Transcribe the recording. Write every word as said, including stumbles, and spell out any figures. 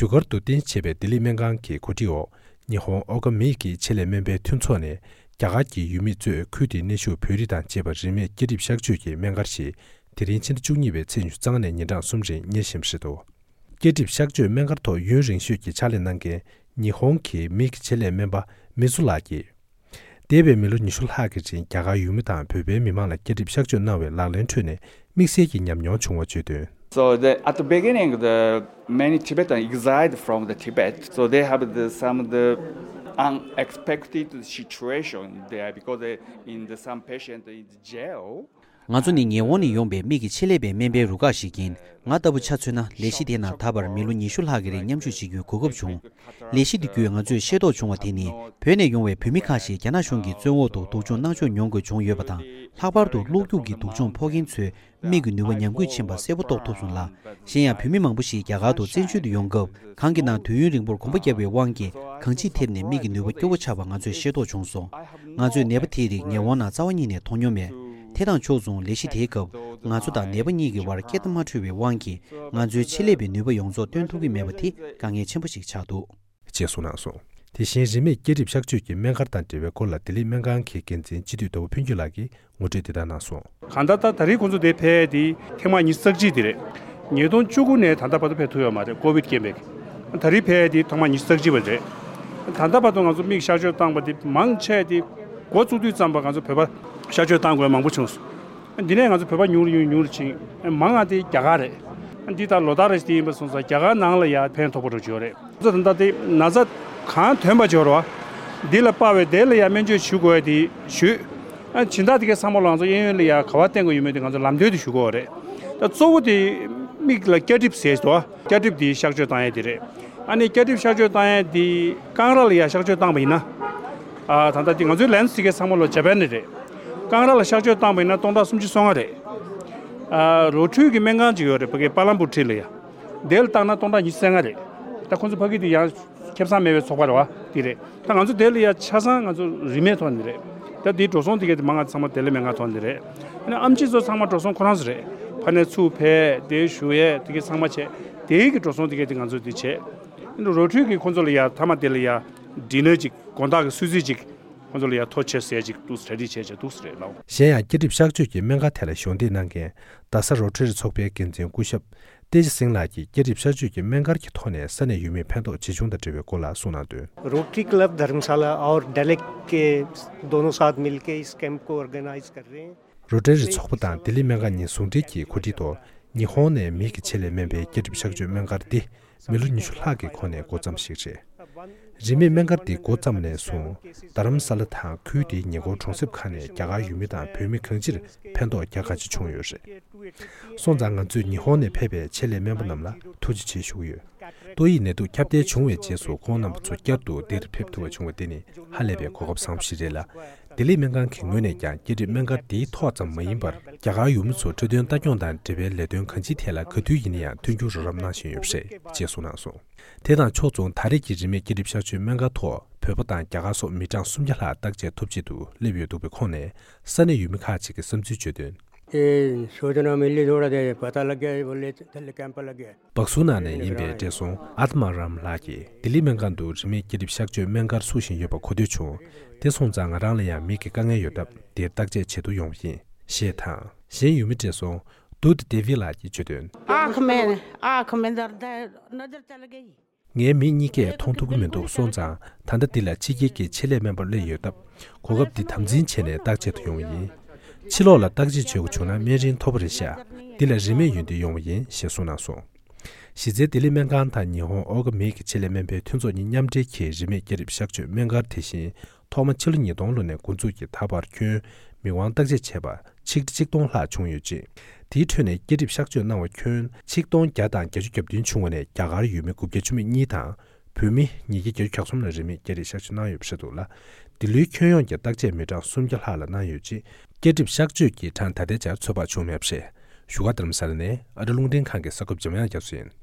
རྒྱུ་སྐར་དུ་རྟེན་གཞི་བྱས་པའི་ལྡི་ལི་སྨན་ཁང་གི་གོ་སྒྲིག་འོག་ཉི་ཧོང་ཨོ་ག་མི་ཡི་གི་ཆེད་ལས་སྨན་པའི་མཐུན་ཚོགས་ནས་རྒྱ་གར་གྱི་ཡུལ་མི་གཙོས་ཁུལ་དེའི་གནས་བཞུགས་བོད་རིགས་དང་བཅས་པར་རིན་མེད་སྐྱེ་གྲིབ་གཤག་བཅོས་ཀྱི་སྨན་སྒར་ཞིག་དེ་རིང་ཕྱི་ཟླ་བཅུ་གཉིས་པའི་ཚེས་ཉི་ཤུ་རྩ་ལྔ་ནས་ཉིན་གྲངས་གསུམ་རིང་གཉེར་བཞིན་པ་རེད་འདུག་སྐྱེ་གྲིབ་གཤག་བཅོས་སྨན་སྒར་ཐོག་ཡུན་རིང་ཤོས་ཀྱི་ཕྱག་ལས་གནང་མཁན་ཉི་ཧོང་གི་མི་ཡི་ཆེད་ལས་སྨན་པ་མི་ཛུ་ལགས་ཀྱིས། འདས་པའི་མི་ལོ་ཉི་ཤུ་ལྷག་གི་རིང་རྒྱ་གར་ཡུལ་མི་དང་བོད་པའི་མི་མང་ལ་སྐྱེ་གྲིབ་གཤག་བཅོས་གནང་བའི་ལག་ལེན་ཁྲོད་ནས་དམིགས་བསལ་གྱི་ཉམས་མྱོང་བྱུང་བ་བརྗོད་དོན། So the, at the beginning, the many Tibetans exiled from the Tibet, so they have the, some of the unexpected situation there because they, in the some patient in the jail. ང་ཚོ་ནི་ཉི་ཧོང་ནས་ཡོང་པའི་མིག་གི་ཆེད་ལས་པའི་སྨན་པའི་རུ་ཁག་ཞིག་ཡིན། ང་ལྟ་བུ་ཆ་མཚོན་ན་ལས་གཞི་དེ་ནང་ད་བར་མི་ལོ་ཉི་ཤུ་ལྷག་གི་རིང་མཉམ་ཞུགས་བྱེད་རྒྱུའི་གོ་སྐབས་བྱུང་། ལས་གཞི་འདི་བརྒྱུད་ང་ཚོས་ཤེས་རྟོགས་བྱུང་བ་དེ་ནི་བོད་ནས་ཡོང་བའི་བོད་མི་ཁག་ཞིག་རྒྱ་ནག་གཞུང་གི་བཙོན་འོག་ཏུ་སྡུག་སྦྱོང་གནང་ཕྱོགས་མྱོང་དགོས་བྱུང་ཡོད་པ་དང་། ལྷག་པར་དུ་གློག་རྒྱུག་གི་སྡུག་སྦྱོང་ཕོག་མཁན་ཚོའི་མིག་གི་ནུས་པ་ཉམས་རྒུད་ཕྱིན་པ་གསལ་པོ་རྟོགས་ཐུབ་སོང་ལ། གཞན་ཡང་བོད་མི་མང་པོ་ཞིག་རྒྱ་གར་དུ་བཙན་བྱོལ་དུ་ཡོང་སྐབས་གང་གི་ནང་དུས་ཡུན་རིང་པོར་གོམ་པ་བརྒྱབ་པའི་དབང་གིས་གང་ཅིར་ཐེབས་ནས་མིག་གི་ནུས་པ་སྐྱོ་བོ་ཆགས་པ་ང་ཚོས་ཤེས་རྟོགས་བྱུང་སོང་། ང་ཚོས་ནད་པ་དེའི་རིགས་ཉི་ཧོང་ནང་རྩ་བ་ཉིད་ནས་མཐོང་མྱོང་མེད། དེ་དང་ཕྱོགས་མཚུངས་ལས་གཞི་དེའི་སྐབས་ང་ཚོ་དང་ནད་པ་གཉིས་ཀྱི་བར་སྐད་མ་འཕྲོད་པའི་དབང་གིས་ང་ཚོའི་ཆེད་ལས་པའི་ནུས་པ་ཡོངས་རྫོགས་སྟོན་ཐུབ་ཀྱི་མེད་པ་དེ་དཀའ་ངལ་ཆེན་པོ་ཞིག་ཆགས་འདུག་ཅེས་གསུངས་གནང་སོང་། དེ་བཞིན་རིན་མེད་སྐྱེ་གྲིབ་གཤག་བཅོས་ཀྱི་སྨན་སྒར་དང་འབྲེལ་བའི་སྐོར་ལ་ལྡི་ལི་སྨན་ཁང་གི་འགན་འཛིན་སྤྱི་འཐུས་རྡོ་པོ་ཕུན་སྐྱིད་ལགས་ཀྱིས་ངོ་སྤྲོད་འདི་ལྟར་གནང་སོང་། གང་ལྟར་ད་ད་རེས་ཁོང་ཚོ་དེ་ཕེབས་དེ་ཐེངས་མ་ཉི་ཤུ་རྩ་གཅིག་དེ་རེད། ཉིས་སྟོང་བཅུ་དགུ་ནས་ད་ལྟ་བར་དུ་ཕེབས་ཐུབ་ཡོད་མ་རེད། ཀོ་བིད་རྐྱེན་པས། ད་རེས་ཕེབས་དེ་ཐེངས་མ་ཉི་ཤུ་རྩ་གཅིག་པ་རེད། ད་ལྟ་བར་དུ་ང་ཚོ་མིག་གཤག་བཅོས་བཏང་པ་དེ་མང་ཆེ་དེ་འགོ་བཙུགས་དུས་ཙམ་པ་ང་ཚོ་བོད་པ་གཤག་བཅོས་བཏང་དགོས་མང་པོ་བྱུང་སོང་། འདི་ནས་ང་ཚོ་བོད་པ་ཉུང་རུ་ཉུང་རུ་ཕྱིན། མང་ང་དེ་རྒྱ་གར་རེད། འདི་ལྟར་ལོ་ལྟར་རེ་དེ་ཡིན་པ་སོང་ཙང་རྒྱ་གར་ནང་ལ་ཡ་ཕན་ཐོགས་པོ་འགྲོ་གི་ཡོད་རེད། ང་ཚོ་ད་ལྟ་དེ་ན་ཚ་གང་ཐོན་པ་འབྱོར་བ་འདི་ལ་དཔག་པའི་དེ་ལ་ཡ་སྨན་བཅོས་ཞུ་དགོས་ཡ་དེ་ཞུས། ཨ་སྦྱིན་བདག་དེ་གའི་ཚང་མ་ལ་ང་ཚོ་གཡས་གཡོན་ལ་ཡ་ག་བ་བསྟེན་དགོས་ཡོད་མེད་དེ་ང་ཚོ་ལམ་སྟོན་དེ་ཞུ་དགོས་རེད། ད་གཙོ་བོ་དེ་མིག་ལ་སྐྱ་གྲིབ་ཟེར་དོ། སྐྱ་གྲིབ་དེ་གཤག་བཅོས་བཏང་ཡ་དེ་རེད། ཨ་ནི་སྐྱ་གྲིབ་གཤག་བཅོས་བཏང་ཡ་དེ་རྐང་ར་ལ་ཡ་གཤག་བཅོས་བཏང་པ་ཡིན་ན། ཨ་ད་ལྟ་དེ་ང་ཚོའི་ལན་སི་དེ་གའི་ཚང་མ་ལ་ཇ་པན་ནས་རེད། རྐང་ར་ལ་གཤག་བཅོས་བཏང་པ་ཡིན་ན་སྟོང་ཕྲག་སུམ་ཅུ་སོ་ལྔ་རེད། ཨ་རོ་ཁྲུས་ཀྱི་སྨན་ཁང་ཅིག་ཡོད་རེད་ཕ་གི་པ་ལམ་པུར་ཁྲི་ལ་ཡ། དེ་ལ་བཏང་ན་སྟོང་ཕྲག་ཉི་ཤུ་རྩ་ལྔ་རེད། ད་ཁོང་ཚོ་ཕ་གི་དེ་ཡང་ཁེ་བཟང་མེད་པའི་ཚོགས་པ་རེད་བ་དེ་རེད། ད་ང་ཚོ་དེ་ལ་ཡ་ཆ་ཚང་ང་ཚོ་རིན་མེད་ཐོག་ནས་རེད། ད་དེའི་འགྲོ་སོང་དེ་གས་དེ་མང་ང་ཚང་མ་དེ་ལས་མེད་ང་ཐོག་ནས་རེད། ཨ་ནི་ཨམ་ཆི་ཚོ་ཚང་མ་འགྲོ་སོང་ཁོ་རང་ཚོ་རེད། ཕ་ནས་ཚུར་ཕེབས་དེ་ཞུ་ཡས་དེ་གས་ཚང་མ་བྱས་དེའི་གི་འགྲོ་སོང་དེ་གས་དེ་ང་ཚོ་དེ་བྱས། ཨ་ནི་རོ་ཁྲུས་ཀྱི་ཁོང་ཚོ་ལ་ཡ་མཐའ་མ་དེ་ལ་ཡ་ཌི་ནར་ཅིག་དགོང་དག་གི་གསོལ་ཚིགས་ཅིག་ཁོང་ཚོ་ལ་ཡ་ཐོ་ཆེ་ཟས་ཅིག་འདུག་གྲ་སྒྲིག་བྱས་བྱས་འདུག་རེད་ལགས། གཞན་ཡང་སྐྱེ་གྲིབ་གཤག་བཅོས་ཀྱི་སྨན་ཁང་དེ་ལ་གཞོགས་འདེགས་གནང་མཁན་རྡ་ས་རོ་ཊ་རི་ཚོགས་པའི་འགན་འཛིན་སྐུ་ཞབས་བསྟན་འཛིན་སིང་ལགས་ཀྱིས་སྐྱེ་གྲིབ་གཤག་བཅོས་ཀྱི་སྨན་སྒར་གྱི་ཐོག་ནས་ས་གནས་ཡུལ་མིའི་ཕན་ཐོགས་ཇི་བྱུང་དང་འབྲེལ་བའི་སྐོར་ལ་གསུངས་གནང་དོན། rotary club धर्मशाला और डेलेक के दोनों साथ मिलके इस कैंप को ऑर्गेनाइज कर रहे हैं। རོ་ཊ་རི་ཚོགས་པ་དང་ལྡི་ལི་སྨན་ཁང་གཉིས་ཟུང་འབྲེལ་གྱིས་གོ་སྒྲིག་ཐོག་ཉི་ཧོང་ནས་མི་གི་ཆེད་ལས་སྨན་པའི་སྐྱེ་གྲིབ་གཤག་བཅོས་སྨན་སྒར་འདི་མི་ལོ་ཉི་ཤུ་ལྷག་གི་གོང་ནས་འགོ་བརྩམས་ཤིག་རེད། རིན་མེད་སྨན་སྒར་འདི་འགོ་བརྩམས་ནས་བཟུང་རྡ་རམ་ས་ལ་དང་ཁུལ་དེའི་ཉེ་འཁོར་གྲོང་གསེབ་ཁག་ནས་རྒྱ་གར་ཡུལ་མི་དང་བོད་མི་གང་ཅིར་ཕན་ཐོགས་རྒྱ་གང་ཆེ་བྱུང་ཡོད་རེད། སོང་ཙང་ང་ཚོས་ཉི་ཧོང་ནས་ཕེབས་པའི་ཆེད་ལས་སྨན་པ་རྣམས་ལ་ཐུགས་རྗེ་ཆེ་ཞུ་གི་ཡོད། ཏོག་དབྱིབས་ནད་དུག་ཁྱབ་གདལ་བྱུང་བའི་རྗེས་སུ་ཁོང་རྣམ་པ་ཚོ་བསྐྱར་དུ་འདིར་ཕེབས་ཐུབ་པ་བྱུང་བ་དེ་ནི་ཧ་ལས་པའི་གོ་སྐབས་བཟང་པོ་ཞིག་རེད་ལ། ལྡི་ལི་སྨན་ཁང་གི་ངོས་ནས་ཀྱང་སྐྱེ་གྲིབ་སྨན་ཁང་འདིའི་ཐོག་ཙམ་མ་ཡིན་པར་རྒྱ་གར་ཡུལ་མི་ཚོ་འཕྲོད་བསྟེན་ལྟ་སྐྱོང་དང་འབྲེལ་བའི་ལས་དོན་གང་ཅིའི་ཐད་ལ་ག་དུས་ཡིན་ན་ཡང་མཐུན་འགྱུར་རོགས་རམ་གནང་བཞིན་ཡོད་པ་རེད་ཅེས་གསུངས་གནང་སོང་། དེ་དང་ཕྱོགས་མཚུངས་ད་རེས་ཀྱི་རིན་མེད་སྐྱེ་གྲིབ་གཤག་བཅོས་སྨན་ཁང་ཐོག་བོད་པ་དང་རྒྱ་གར་སོགས་མི་གྲངས་སུམ་བརྒྱ་ལྷག་བརྟག་དཔྱད་ཐོབ་ཆེད་དུ་སླེབས་ཡོད་འདུག་པའི་ཁོངས་ནས་ས་གནས་ཡུལ་མི་ཁག་ཅིག་གིས་བསམ་ཚུལ་བརྗོད་དོན། ये सूचना मिली, थोड़ा देर पता लग गया, बोले थैली कैंप लग गया। བག་སུ་ན་ནས་ཡིན་པའི་བགྲེས་སོང་ཨ་ཏི་མ་རམ་ལགས་ཀྱིས་ལྡི་ལི་སྨན་ཁང་དུ་རིན་མེད་སྐྱེ་གྲིབ་གཤག་བཅོས་སྨན་སྒར་བཙུགས་བཞིན་ཡོད་པ་གོ་ཐོས་བྱུང་། དེ་སོང་ཙང་ང་རང་ལ་ཡང་མིག་གི་དཀའ་ངལ་ཡོད་སྟབས་འདིར་བརྟག་དཔྱད་བྱེད་དུ་ཡོང་བ་ཡིན་ཞེས་དང་། གཞན་ཡུལ་མི་བགྲེས་སོང་དུད་ཌེ་ཝི་ལགས་ཀྱིས་བརྗོད་དོན། आँख में, आँख में दर्द है, नजर चल गई। ངའི་མིག་གཉིས་ཀས་མཐོང་ཐུབ་ཀྱི་མི་འདུག་སོང་ཙང་ད་ལྟ་འདི་ལ་ཕྱི་རྒྱལ་གྱི་ཆེད་ལས་སྨན་པ་སླེབས་ཡོད་སྟབས་གོ་སྐབས་འདི་དམ་འཛིན་བྱས་ནས་བརྟག་དཔྱད་དུ་ཡོང་བ་ཡིན། ཕྱི་ལོགས་ལ་བརྟག་དཔྱད་བྱེད་དགོས་བྱུང་ན་སྨན་རིན་མཐོ་པོ་རེད་ཤག་འདི་ལ་རིན་མེད་ཡོན་ཏན་ཡོང་བ་ཡིན་ཞེས་གསུངས་གནང་སོང་། གཞི་རྩའི་ལྡི་ལི་སྨན་ཁང་དང་ཉི་ཧོང་ཨོ་ག་མི་གི་ཆེད་ལས་སྨན་པའི་མཐུན་ཚོགས་གཉིས་མཉམ་འབྲེལ་གྱིས་རིན་མེད་སྐྱེ་གྲིབ་གཤག་བཅོས་སྨན་སྒར་དེ་བཞིན་ཐོག་མ་ཕྱི་ལོ་ཉིས་སྟོང་ལོ་ནས་འགོ་འཛུགས་ཀྱིས་ད་བར་ཁྱོན་མིག་དབང་བརྟག་དཔྱད་བྱས་པ་ཆིག་ཁྲི་ཆིག་སྟོང་ལྷག་བྱུང་ཡོད་ཅིང་། དེའི་ཁྲོད་ནས་སྐྱེ་གྲིབ་གཤག་བཅོས་གནང་བ་ཁྱོན་ཆིག་སྟོང་བརྒྱ་དང་བརྒྱད་ཅུ་གྱ་བདུན་བྱུང་བ་ནས་རྒྱ་གར་ཡུལ་མི་དགུ་བརྒྱ་བཅུ་མེད་གཉིས་དང་། བོད་མི་ཉིས་བརྒྱ་བརྒྱད་ཅུ་གྱ་གསུམ་ལ་རིན་མེད་སྐྱེ་གྲིབ་གཤག་བཅོས་གནང་ཡོད་པ་རེད་འདུག་ལ། འདི་ལོའི་ཁྱོན་ཡོངས་ཀྱི་བརྟག་དཔྱད་མི་གྲངས་སུམ་བརྒྱ་ལྷག་ལ་གནང་ཡོད་ཅིང་། སྐྱེ་གྲིབ་གཤག་བཅོས་ཀྱི་གྲངས་ད་ལྟའི་ཆར་ཚོད་དཔག་བྱུང་མེད་པ་རེད། བཞུགས་སྒར་རྡ་རམ་ས་ལ་ནས་ཨ་རི་རླུང་འཕྲིན་ཁང་གི་གསར་འགོད་པ་འཇམ་དབྱངས་རྒྱ་མཚོ་ཡིན།